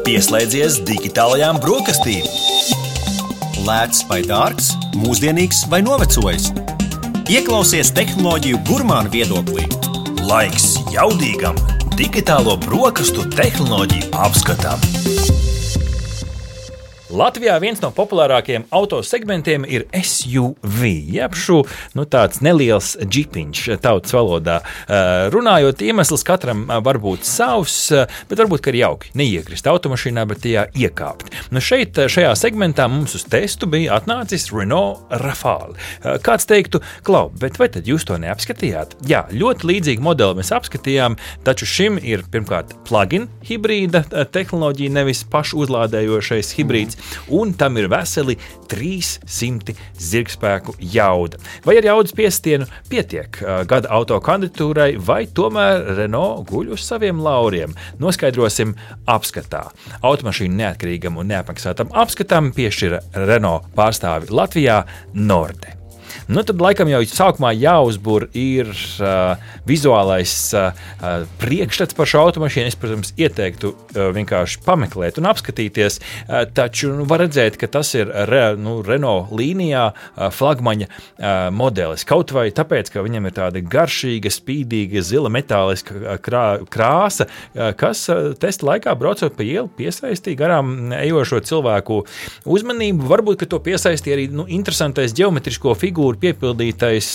Pieslēdzies digitālajām brokastīm. Lēts vai dārgs, mūsdienīgs vai novecojis. Ieklausies tehnoloģiju gurmānu viedoklī. Laiks jaudīgam digitālo brokastu tehnoloģiju apskatam. Latvijā viens no populārākajiem autosegmentiem ir SUV, jeb tāds neliels džipiņš tautas valodā. Runājot, iemesls katram var būt savs, bet varbūt ir jauki neiekrist automašīnā, bet tajā iekāpt. Šajā segmentā mums uz testu bija atnācis Renault Rafale. Kāds teiktu, Klau, bet vai tad jūs to neapskatījāt? Jā, ļoti līdzīgu modeli mēs apskatījām, taču šim ir pirmkārt plug-in hibrīda tehnoloģija, nevis pašu uzlādējošais hibrīds. Un tam ir veseli 300 zirgspēku jauda. Vai ar jaudas piestienu pietiek gada auto kandidatūrai, vai tomēr Renault guļ uz saviem lauriem? Noskaidrosim apskatā. Automašīnu neatkarīgam un neapmaksātam apskatam piešķira Renault pārstāvi Latvijā Norde. Tad laikam jau sākumā jāuzbur ir vizuālais priekšstats par šo automašīnu. Es, protams, ieteiktu vienkārši pameklēt un apskatīties, taču var redzēt, ka tas ir Renault līnijā flagmaņa modelis. Kaut vai tāpēc, ka viņam ir tāda garšīga, spīdīga, zila metāliska krāsa, kas testa laikā braucot pa ielu piesaistīja garām ejošo cilvēku uzmanību. Varbūt, ka to piesaistīja arī interesantais ģeometrisko figūru piepildītais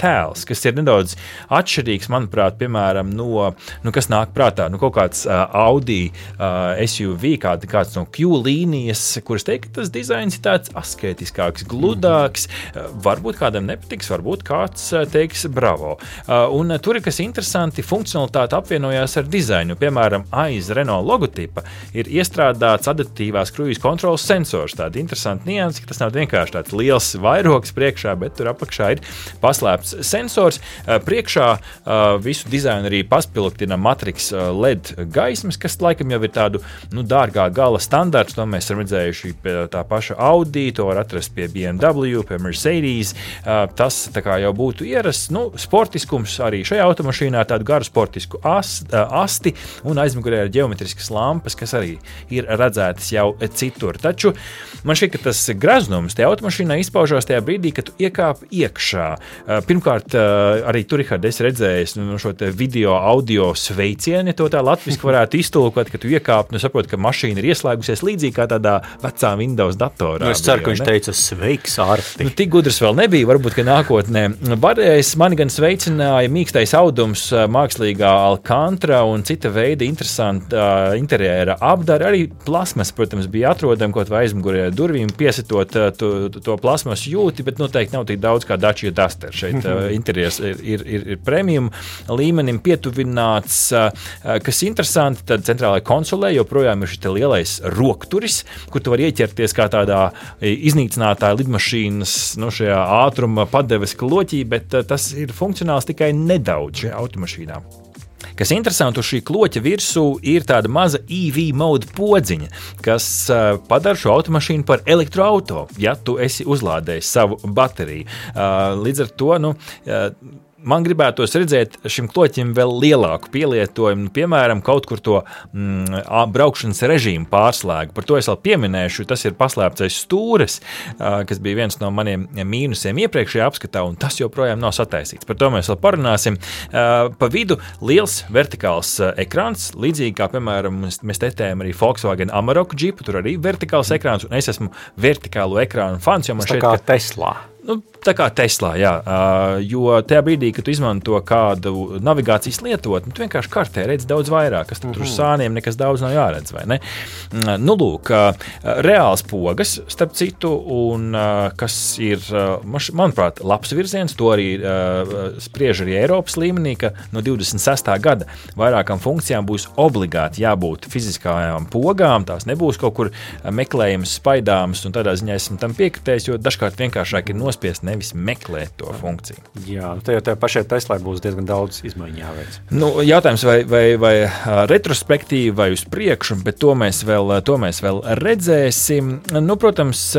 tēls, kas ir nedaudz atšķirīgs, manuprāt, piemēram, no kas nāk prātā, kaut kāds Audi SUV, kāds no Q līnijas, kuras teikt, ka tas dizains ir tāds asketiskāks, gludāks, varbūt kādam nepatiks, varbūt kāds teiks bravo. Un tur ir kas interesanti, funkcionalitāte apvienojās ar dizainu. Piemēram, aiz Renault logotipa ir iestrādāts adaptīvās kruīza kontroles sensors. Tāda interesanta nianse, ka tas nav vienkārši tāds liels vairogs priekšā, bet tur apakšā ir paslēpts sensors. Priekšā visu dizainu arī paspilgtina Matrix LED gaismas, kas laikam jau ir tādu dārgā gala standarts. To mēs esam redzējuši pie tā paša Audi, to var atrast pie BMW, pie Mercedes. Tas tā kā jau būtu ierasts. Sportiskums arī šajā automašīnā, tādu garu sportisku asti un aizmugurē ir ģeometriskas lampas, kas arī ir redzētas jau citur. Taču man šķiet, ka tas greznums tajā automašīnā izpaužās tajā brīdī, kad tu iekāp iekšā. Pirmkārt, arī tur, Richard, es redzēju šo video, audio sveicienu, ja to tā latviski varētu iztulkot, ka tu iekāp, saproti, ka mašīna ir ieslēgusies līdzīgi kā tādā vecā Windows datorā. Es ceru, ka viņš teica sveiks, Arti. Tik gudrs vēl nebija, varbūt, ka nākotnē. Mani gan sveicināja mīkstais audums, mākslīgā alkantra un cita veida interesanta interjera apdara. Arī plasmas, protams, bija atrodama kaut vai aizmugurē durvīm, piesitot to plasmas jūti, bet noteikti nav tik daudz kā Dacia Duster. Šeit interjers ir premium līmenim pietuvināts. Kas interesanti, tad centrālajā konsolē joprojām ir šis lielais rokturis, kur tu vari ieķerties kā tādā iznīcinātāja lidmašīnas šajā ātruma padeves kloķī, bet tas ir funkcionāls tikai nedaudz šajā automašīnā. Kas interesanti, uz šī kloķa virsū ir tāda maza EV mode podziņa, kas padara šo automašīnu par elektroauto, ja tu esi uzlādējis savu bateriju. Līdz ar to, man gribētos redzēt šim kloķim vēl lielāku pielietojumu, piemēram, kaut kur to braukšanas režīmu pārslēgu. Par to es vēl pieminēšu, tas ir paslēptais stūres, kas bija viens no maniem mīnusiem iepriekšējā apskatā, un tas joprojām nav sataisīts. Par to mēs vēl parunāsim. Pa vidu liels vertikāls ekrāns, līdzīgi kā, piemēram, mēs testējam arī Volkswagen Amarok džipu, tur arī vertikāls ekrāns, un es esmu vertikālo ekrānu fans, jo man šeit, kā Teslā. Tā kā Teslā, jā, jo tajā brīdī, kad tu izmanto kādu navigācijas lietotni, tu vienkārši kartē redz daudz vairāk, kas tur uz sāniem nekas daudz nav jāredz, vai ne? Lūk, reāls pogas, starp citu, un kas ir, manuprāt, labs virziens, to arī spriež arī Eiropas līmenī, ka no 26. gada vairākām funkcijām būs obligāti jābūt fiziskajām pogām, tās nebūs kaut kur meklējums, spaidāms, un tādā ziņā esmu tam piekritējis, jo dažkārt vienkāršāk ir nospiest nospiest, nevis meklēt to funkciju. Jā, tajā pašai Teslai būs diezgan daudz izmaiņu jāveic. Nu, jautājums, vai retrospektīvi vai uz priekšu, bet to mēs vēl redzēsim. Nu, protams,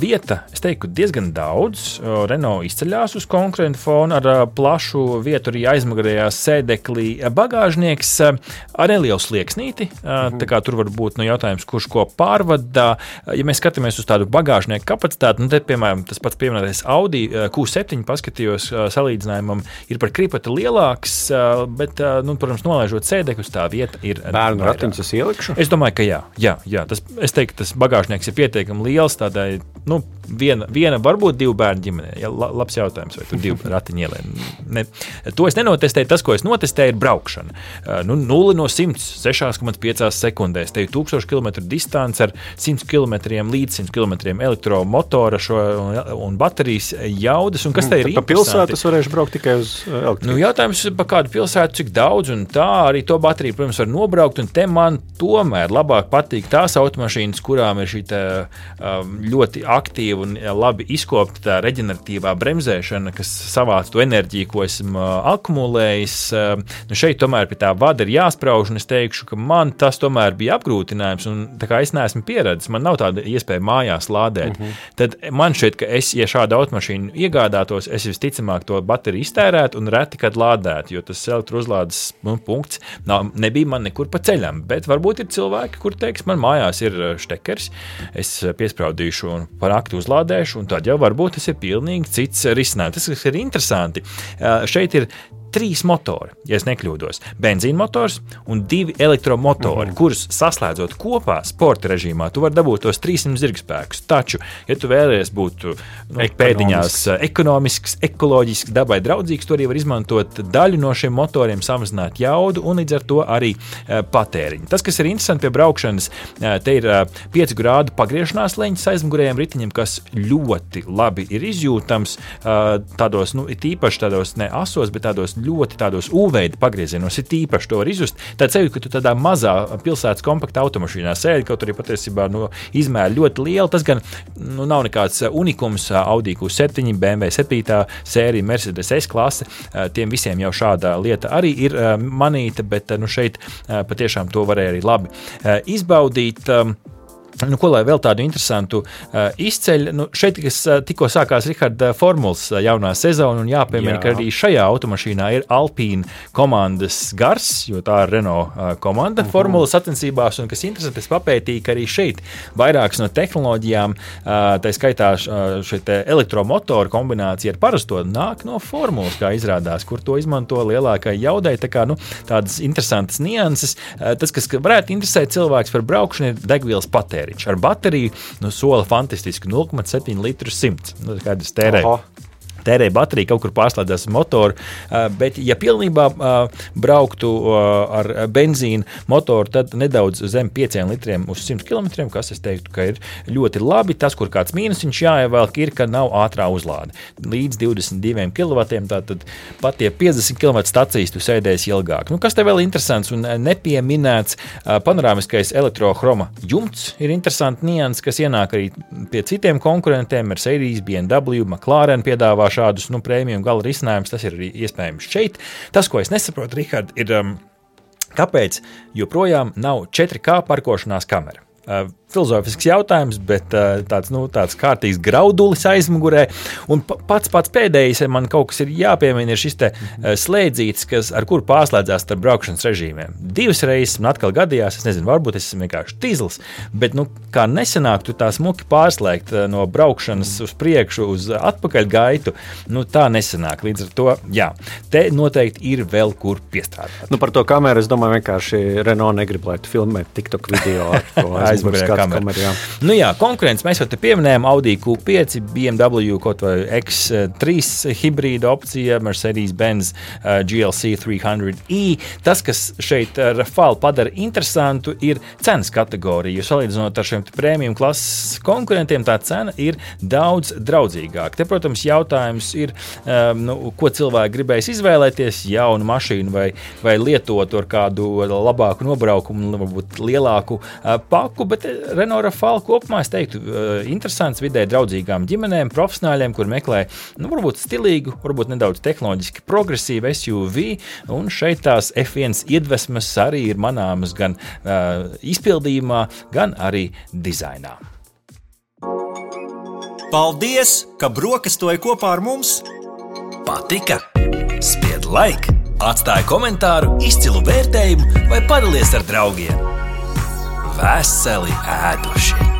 vieta, es teiktu, diezgan daudz. Renault izceļās uz konkurentu fonu ar plašu vietu arī aizmugurējā sēdeklī. Bagāžnieks ar nelielu slieksnīti, tā kā tur var būt jautājums, kurš ko pārvadā. Ja mēs skatāmies uz tādu bagāžnieku kapacitāti, te, piemēram, tas pats pieminētais Audi Q7 paskatījos salīdzinājumam, ir par kripati lielāks, bet, protams, nolaižot sēdekļus, tā vieta ir bērnu ratiņus es ielikšu? Es domāju, ka jā. Es teiktu, tas bagāžnieks ir pietiekami liels, tādai, viena varbūt 2 bērnu ģimenē. Ja, labs jautājums, vai tur 2 ratiņi ielē. To es nenotestēju, tas, ko es notestēju, ir braukšana. 0 no 100, 6,5 sekundēs. Te ir 1000 km distance ar 100 km līdz 100 km elektromotora un baterijas jaudas. Un kas te ir interesanti? Pa pilsētu es varēšu braukt tikai uz elektrību. Jautājums pa kādu pilsētu, cik daudz, un tā arī to bateriju, protams, var nobraukt, un te man tomēr labāk patīk tās automašīnas, kurām ir šī ļoti aktīva un labi izkopta reģeneratīvā bremzēšana, kas savāc to enerģiju, ko esmu akumulējis. Šeit tomēr pie tā vada ir jāsprauž, un es teikšu, ka man tas tomēr bija apgrūtinājums, un tā kā es neesmu pieredzis, man nav tāda iespēja mājās lādēt. Tad man šķiet, ka ja šādu automašīnu iegādātos, es visticamāk to bateriju iztērētu un reti kad lādētu, jo tas elektrouzlādes punkts nebija man nekur pa ceļam, bet varbūt ir cilvēki, kur teiks, man mājās ir štekers, es piespraudīšu un par nakti uzlādēšu, un tad jau varbūt tas ir pilnīgi cits risinājums. Tas, kas ir interesanti, šeit ir 3 motori, ja es nekļūdos. Benzīna motors un 2 elektromotori, kurus saslēdzot kopā sporta režīmā, tu vari dabūt tos 300 zirgspēkus. Taču, ja tu vēlies būt pēdiņās ekonomisks, ekoloģisks, dabai draudzīgs, tu arī var izmantot daļu no šiem motoriem, samazināt jaudu un līdz ar to arī patēriņu. Tas, kas ir interesanti pie braukšanas, te ir 5 grādu pagriešanās leņķis aizmugurējiem ritiņiem, kas ļoti labi ir izjūtams tādos, tīpaši tādos ne asos, bet tādos ļoti tādos U-veida pagriezienos, ir īpaši to var izjust. Tad sevi, ka tu tādā mazā pilsētas kompakta automašīnā sēdi, kaut arī patiesībā izmēra ļoti liela. Tas gan nav nekāds unikums. Audi Q7, BMW 7 sērija, Mercedes S-klase. Tiem visiem jau šāda lieta arī ir manīta, bet šeit patiešām to varēja arī labi izbaudīt. Ko lai vēl tādu interesantu izceļ? Šeit, kas tikko sākās Riharda formulas jaunā sezona, un jāpiemina, ka arī šajā automašīnā ir Alpine komandas gars, jo tā ir Renault komanda formulas sacensībās, un kas interesanti, es papētīju, ka arī šeit vairākas no tehnoloģijām, tā skaitā šeit elektromotoru kombinācija ar parasto nāk no formulas, kā izrādās, kur to izmanto lielākai jaudai, tā kā tādas interesantas nianses. Tas, kas varētu interesēt cilvēks par braukšanu, ir degvielas patēriņš. Ar bateriju sola fantastiski 0,7 litrus 100. Kādas tērē bateriju, kaut kur pārslēdzās motoru, bet ja pilnībā brauktu ar benzīnu motoru, tad nedaudz zem 5 litriem uz 100 km, kas es teiktu, ka ir ļoti labi. Tas, kur kāds mīnusiņš jāievelk, ir, ka nav ātrā uzlāde. Līdz 22 kW, tātad pat tie 50 km stacijas tu sēdēsi ilgāk. Kas te vēl interesants un nepieminēts, panorāmiskais elektrohroma jumts ir interesanti nians, kas ienāk arī pie citiem konkurentiem, Mercedes, BMW, McLaren piedāvā šādus prēmiju gala risinājumus, tas ir arī iespējams šeit. Tas, ko es nesaprotu, Rihard, ir, kāpēc joprojām nav 4K parkošanās kamera. Filozofisks jautājums, bet tāds kārtīgs graudulis aizmugurē. Un pats pēdējais, man kaut kas ir jāpiemina, ir šis te slēdzītis, ar kuru pārslēdzās starp braukšanas režīmiem. 2 reizes man atkal gadījās, es nezinu, varbūt es esmu vienkārši tīzls, bet kā nesanāk tu tā smuki pārslēgt no braukšanas uz priekšu uz atpakaļ gaitu, tā nesanāk. Līdz ar to, jā, te noteikti ir vēl kur piestrādāt. Par to kameru, es domāju, vienkārši Renault negrib, lai tu filmē TikTok video ar to aizmugurē kameru. Konkurence mēs jau te pieminējām Audi Q5, BMW kaut vai X3 hibrīda opcija, Mercedes-Benz GLC 300e. Tas, kas šeit Rafale padara interesantu, ir cenas kategorija. Jo salīdzinot ar šiem prēmiju klases konkurentiem, tā cena ir daudz draudzīgāka. Te, protams, jautājums ir, ko cilvēki gribēs izvēlēties, jaunu mašīnu vai lietot ar kādu labāku nobraukumu, varbūt lielāku paku, bet Renault Rafale kopumā, es teiktu, interesants vidē draudzīgām ģimenēm, profesionāļiem, kur meklē, varbūt stilīgu, varbūt nedaudz tehnoloģiski progresīvu SUV, un šeit tās F1 iedvesmas arī ir manāmas gan izpildījumā, gan arī dizainā. Paldies, ka brokastoji kopā ar mums! Patika? Spied like, atstāj komentāru, izcilu vērtējumu vai padalies ar draugiem. Veseli ēduši!